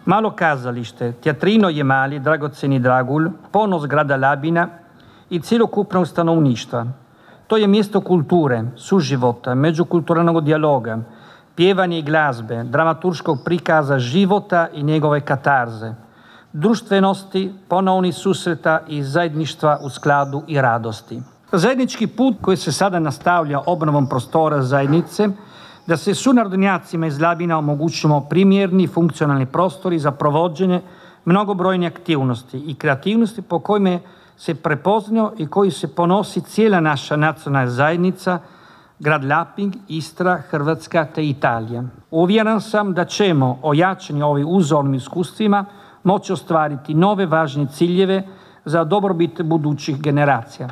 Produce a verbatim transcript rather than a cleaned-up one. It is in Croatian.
Malo kazalište, teatrino je mali, dragoceni dragulj, ponos grada Labina i cjelokupnog stanovništva. To je mjesto kulture, suživota, međukulturalnog dijaloga, pjevanja i glazbe, dramaturškog prikaza života i njegove katarze, društvenosti, ponovnih susreta i zajedništva u skladu i radosti. Zajednički put koji se sada nastavlja obnovom prostora zajednice, da se sunarodnjacima iz Labina omogućimo primjerni funkcionalni prostori za provođenje mnogobrojne aktivnosti i kreativnosti po kojima se prepoznao i koji se ponosi cijela naša nacionalna zajednica, grad Lapin, Istra, Hrvatska te Italija. Uvjeren sam da ćemo ojačani ovim uzornim iskustvima moći ostvariti nove važne ciljeve za dobrobit budućih generacija.